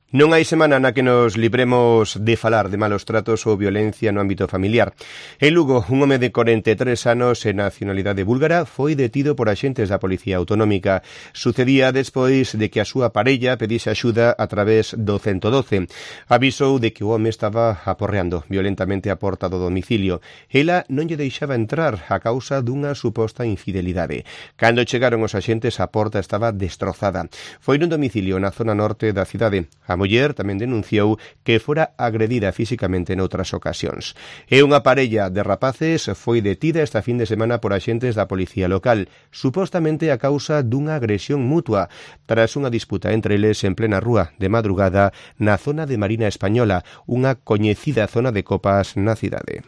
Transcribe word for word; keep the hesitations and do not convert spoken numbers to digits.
Non hai semana na que nos libremos de falar de malos tratos ou violencia no ámbito familiar. En Lugo, un home de corenta e tres anos e nacionalidade búlgara foi detido por axentes da Policía Autonómica. Sucedía despois de que a súa parella pedise axuda a través do ciento doce. Avisou de que o home estaba aporreando violentamente a porta do domicilio. Ela non lle deixaba entrar a causa dunha suposta infidelidade. Cando chegaron os axentes, a porta estaba destrozada. Foi nun domicilio na zona norte da cidade. A muller tamén denunciou que fora agredida físicamente noutras ocasións. E unha parella de rapaces foi detida esta fin de semana por axentes da policía local, supostamente a causa dunha agresión mutua, tras unha disputa entre eles en plena rúa de madrugada na zona de Marina Española, unha coñecida zona de copas na cidade.